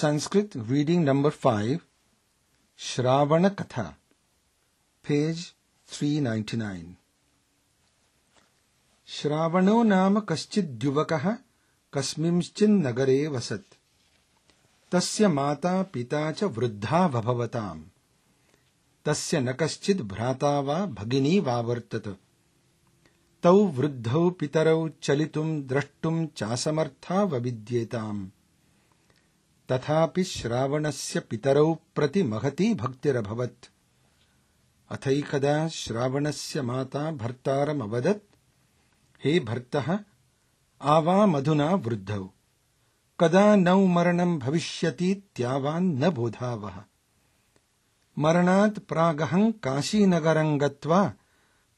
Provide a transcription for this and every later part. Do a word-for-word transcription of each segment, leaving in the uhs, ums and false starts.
Sanskrit reading number five, Shravana Katha, page three ninety-nine. Shravano nama kaschid yuvakah kasmimschin nagare vasat. Tasya mata pita cha vruddha bhavavatam. Tasya nakaschid bhrata va bhagini vavartat. Tau vruddhau pitarau chalitum drashtum chasamartha vavidyetam. तथापि श्रावणस्य पितरौ प्रति महती भक्तिरभवत्. अथैकदा श्रावणस्य माता भर्तारमवदत्, हे भर्तः, आवामधुना वृद्धौ, कदा नौ मरणं भविष्यतीत्यावान् न बोधावः. मरणात् प्रागहं काशीनगरं गत्वा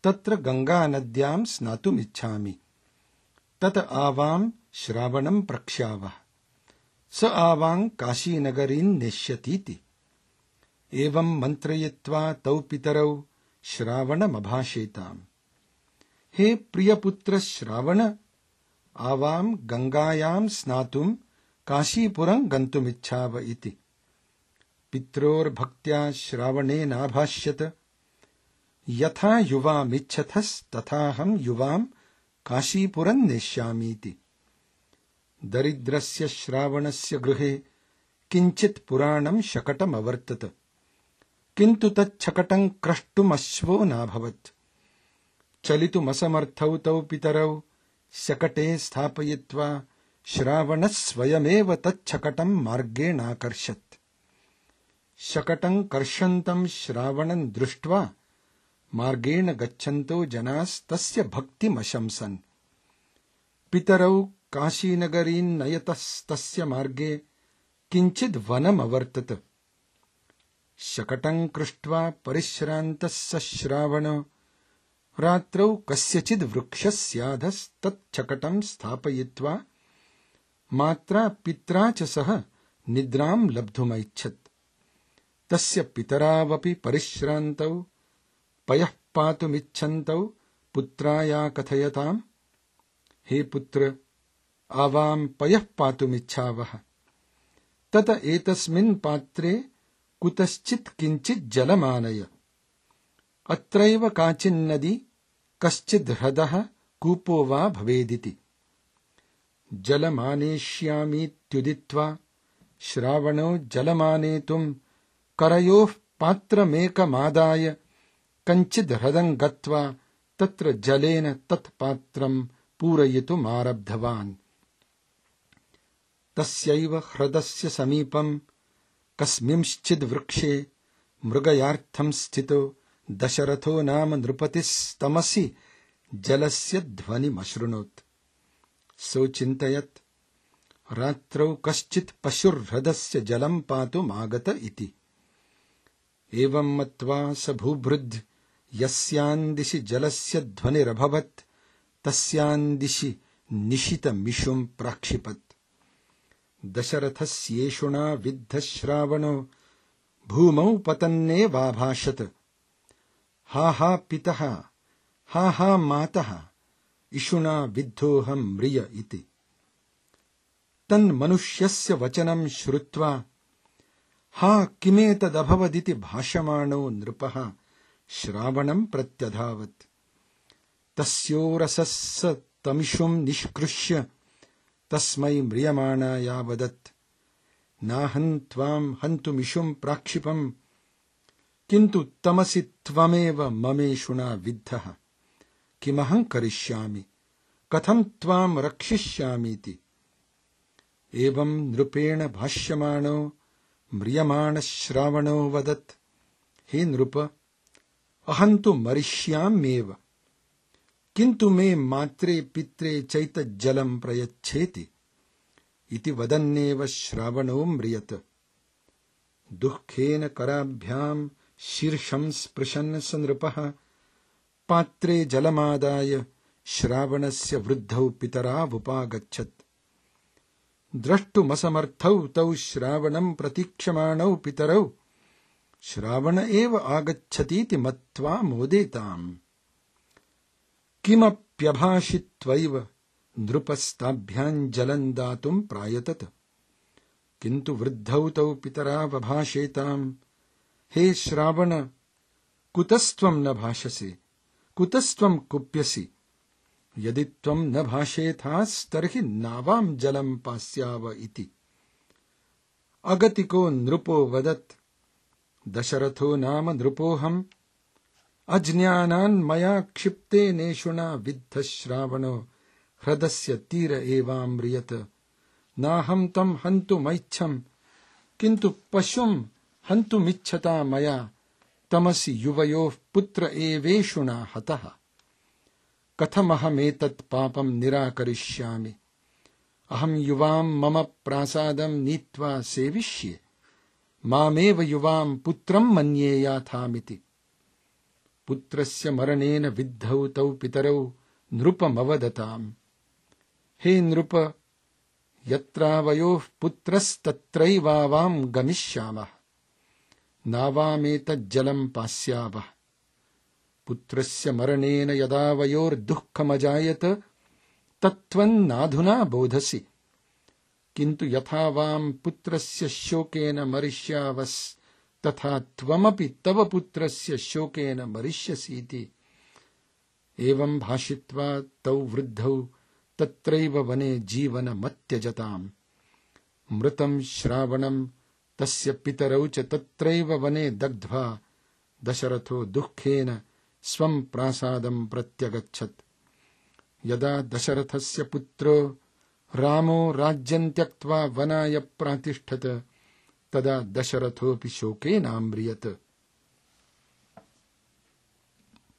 तत्र गंगानद्यां स्नातुमिच्छामि. तत आवां श्रावणं प्रक्ष्यावः. स आवां काशीनगरीं नेष्यतीति. एवं मन्त्रयित्वा तौ पितरौ श्रावणमभाषेताम्. हे प्रियपुत्र श्रावण, आवां गंगायां स्नातुं काशीपुरं गन्तुमिच्छाव इति. पित्रोर्भक्त्या श्रावणेनाभाष्यत, यथा युवामिच्छथस्तथाहं युवां काशीपुरं नेष्यामीति. दरिद्रस्य श्रावणस्य गृहे किञ्चित् पुराणं शकटमवर्तत. किन्तु तच्छकटं क्रष्टुमश्वो नाभवत्. चलितुमसमर्थौ तौ पितरौ शकटे स्थापयित्वा श्रावणः स्वयमेव तच्छकटं मार्गेणाकर्षत्. शकटं कर्षन्तं श्रावणं दृष्ट्वा मार्गेण गच्छन्तो जनास्तस्य भक्तिमशंसन्. पितरौ काशीनगरीं नयतस्तस्य मार्गे किञ्चिद् वनमवर्तत. शकटं कृष्ट्वा परिश्रान्तः स श्रावणो रात्रौ कस्यचिद् वृक्षस्याधस्तच्छकटं स्थापयित्वा मात्रा पित्रा च सह निद्रां लब्धुमैच्छत्. तस्य पितरावपि परिश्रान्तौ पयः पातुमिच्छन्तौ पुत्राया कथयताम्, हे पुत्र, आवां पयः पातुमिच्छावः. तत एतस्मिन् पात्रे कुतश्चित् किञ्चित् जलमानय. अत्रैव काचिन्नदी, कश्चिद् ह्रदः, कूपो वा भवेदिति. जलमानेष्यामीत्युदित्वा श्रावणो जलमानेतुं करयोः पात्रमेकमादाय कञ्चिद् ह्रदं गत्वा तत्र जलेन तत्पात्रं पूरयितुमारब्धवान्. तस्यैव ह्रदस्य समीपं कस्मिंश्चिद् वृक्षे मृगयार्थं स्थितो दशरथो नाम नृपतिस्तमसि जलस्य ध्वनिमशृणोत्. सोचिन्तयत्, रात्रौ कश्चित् पशुर्ह्रदस्य जलं पातुमागत इति. एवं मत्वा स भूभृद् यस्यां दिशि जलस्य ध्वनिरभवत् तस्यां दिशि निशितमिषुं प्राक्षिपत्. दशरथस्येषुणा विद्धः श्रावणो भूमौ पतन्नेवाभाषत. हा हा पितः, हा हा मातः, इषुणा विद्धोऽहं म्रिय इति. तन्मनुष्यस्य वचनं श्रुत्वा हा किमेतदभवदिति भाषमाणो नृपः श्रावणं प्रत्यधावत्. तस्योरसः तमिषुं निष्कृष्य तस्मै म्रियमाणाया वदत्, नाहं त्वां हन्तुमिषुं प्राक्षिपम्, किन्तु तमसि त्वमेव ममेषुणा विद्धः. किमहं करिष्यामि, कथं त्वां रक्षिष्यामीति. एवं नृपेण भाष्यमाणो म्रियमाणः श्रावणो वदत्, हे नृप, अहं तु मरिष्याम्येव, किन्तु मे मात्रे पित्रे चैतज्जलं प्रयच्छेति. इति वदन्नेव श्रावणो म्रियत. दुःखेन कराभ्यां शीर्षं स्पृशन् स नृपः पात्रे जलमादाय श्रावणस्य वृद्धौ पितरावुपागच्छत्. द्रष्टुमसमर्थौ तौ श्रावणं प्रतीक्षमाणौ पितरौ श्रावण एव आगच्छतीति मत्वा मोदेताम्. किमप्यभाषित्वैव नृपस्ताभ्यां जलं दातुं प्रायतत. किन्तु वृद्धौ तौ पितरा बभाषेताम्, हे श्रावण, कुतस्त्वं न भाषसे, कुतस्त्वं कुप्यसि, यदि त्वं न भाषेथास्तर्हि नावां जलं पास्याव इति। अगतिको नृपो वदत्, दशरथो नाम नृपोऽहम्, अज्ञानान् मया क्षिप्तेनेषुणा विद्ध श्रावणो ह्रदस्य तीर एवाम्रियत। नाहं तं हन्तुमैच्छम्, किन्तु पशुं हन्तुमिच्छता मया, तमसि युवयोः पुत्र एवेषुणा हतः। कथमहमेतत् पापं निराकरिष्यामि, अहं युवां मम प्रासादं नीत्वा सेविष्ये, मामेव युवां पुत्रं मन्येयाथामिति। पुत्रस्य मरणेन विद्धौ तौ पितरौ नृपमवदताम्, हे नृप, यत्रावयोः पुत्रस्तत्रैवावां गमिष्यामः, नावामेतज्जलं पास्यावः। पुत्रस्य मरणेन यदा वयोर्दुःखमजायत, तत्त्वन्नाधुना बोधसि, किन्तु यथा वां पुत्रस्य शोकेन मरिष्यावस्तथा त्वमपि तव पुत्रस्य शोकेन मरिष्यसीति। एवं भाषित्वा तौ वृद्धौ तत्रैव वने जीवनमत्यजताम्। मृतं श्रावणं तस्य पितरौ च तत्रैव वने दग्ध्वा दशरथो दुःखेन स्वं प्रासादं प्रत्यगच्छत्। यदा दशरथस्य पुत्रो रामो राज्यं त्यक्त्वा वनाय प्रातिष्ठत, तदा दशरथोऽपि शोकेनाम्रियत।